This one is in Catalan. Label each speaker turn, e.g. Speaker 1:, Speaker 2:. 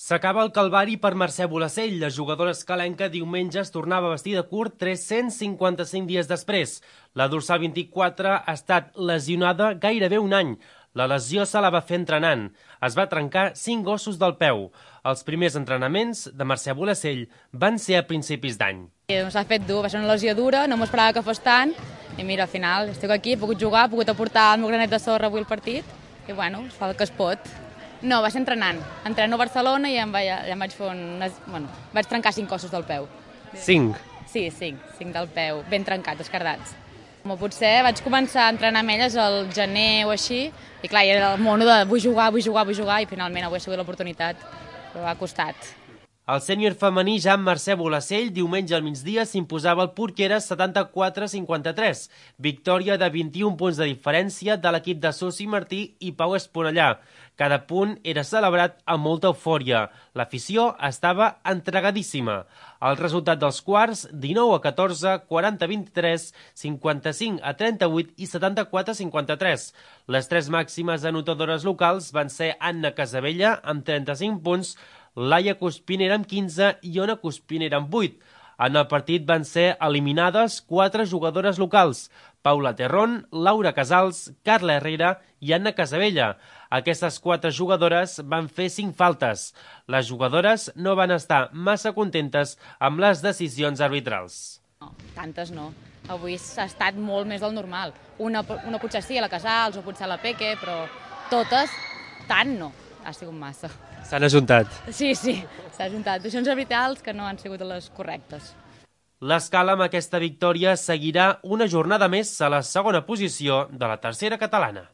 Speaker 1: S'acaba el calvari per Mercè Bolacell. La jugadora escalenca diumenge es tornava a vestir de curt 355 dies després. La dorsal 24 ha estat lesionada gairebé un any. La lesió se la va fer entrenant. Es va trencar 5 ossos del peu. Els primers entrenaments de Mercè Bolacell van ser a principis d'any.
Speaker 2: S'ha fet dur, va ser una lesió dura, no m'ho esperava que fos tant. I mira, al final estic aquí, he pogut jugar, he pogut aportar el meu granet de sorra avui al partit. I bueno, es fa el que es pot. No, va ser entrenant. Entreno a Barcelona i ja em vaig fer vaig trencar 5 ossos del peu.
Speaker 1: 5?
Speaker 2: Sí, 5 del peu, ben trencats, esquerdats. Potser vaig començar a entrenar amb elles al gener o així, i clar, era el mono de vull jugar, i finalment avui ha sigut l'oportunitat, però ha costat.
Speaker 1: El sènior femení Jean Mercè Bolacell diumenge al migdia s'imposava al Porqueres 74-53, victòria de 21 punts de diferència de l'equip de Susi Martí i Pau Esponellà. Cada punt era celebrat amb molta eufòria. L'afició estava entregadíssima. El resultat dels quarts, 19-14, 40-23, 55-38 i 74-53. Les tres màximes anotadores locals van ser Anna Casabella amb 35 punts, Laia Cuspinera amb 15 i Ona Cuspinera amb 8. En el partit van ser eliminades 4 jugadores locals: Paula Terrón, Laura Casals, Carla Herrera i Anna Casabella. Aquestes 4 jugadores van fer 5 faltes. Les jugadores no van estar massa contentes amb les decisions arbitrals.
Speaker 2: No, tantes no. Avui s'ha estat molt més del normal. Una potser sí, a la Casals o potser a la Peque, però totes, tant no. Ha sigut massa.
Speaker 1: S'han ajuntat.
Speaker 2: Sí, s'ha ajuntat. Decisions arbitrals que no han sigut les correctes.
Speaker 1: L'Escala amb aquesta victòria seguirà una jornada més a la segona posició de la tercera catalana.